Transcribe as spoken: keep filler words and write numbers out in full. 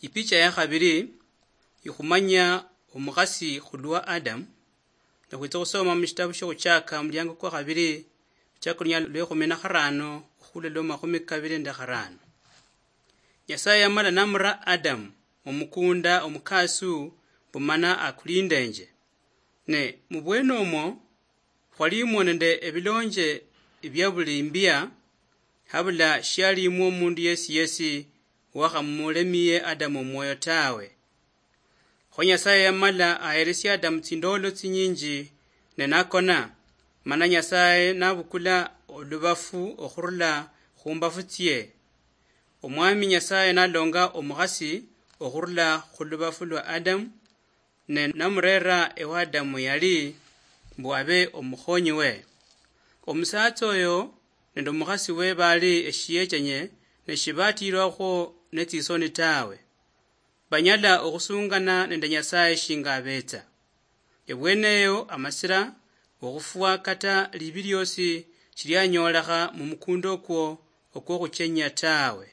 Ipicha ya khabili ikhumanya omukhasi khulwa Adamu, ne khwitsa khusoma mushitabu shiokhuchaka omuliango kwa khabili, khuchaka olunyalo lwekhumi na kharano okhula lwa makhumi kabili nende kharano. Nyasaye yamala namura Adamu mumukunda omukaasu mbu mana akulindenje. Ne mubwene omwo khwalimwo nende ebilonje bia buli imbia, habula shialimwo omundu yesi yesi wakhamulemiye Adamu omwoyo tawe. Kho Nyasaye yamala aheresia Adamu tsindolo tsinyinji ne nakona, mana Nyasaye nabukula olubafu okhurula khumbafu tsie. Omwami Nyasaye nalonga omukhasi okhurula khulubafu lwa Adamu, ne namurera ewa Adamu yali mbu abe omukhonyi we. Omusatsa oyo nende omukhasi we bali eshiechenye, ne shibatilwakhwo netsisoni tawe. Banyala okhusungana nende Nyasaye shinga abetsa. Ebweneyo amasira okhufwa kata libi liosi shilianyolekha mumukunda okwo okwokhuchenya tawe.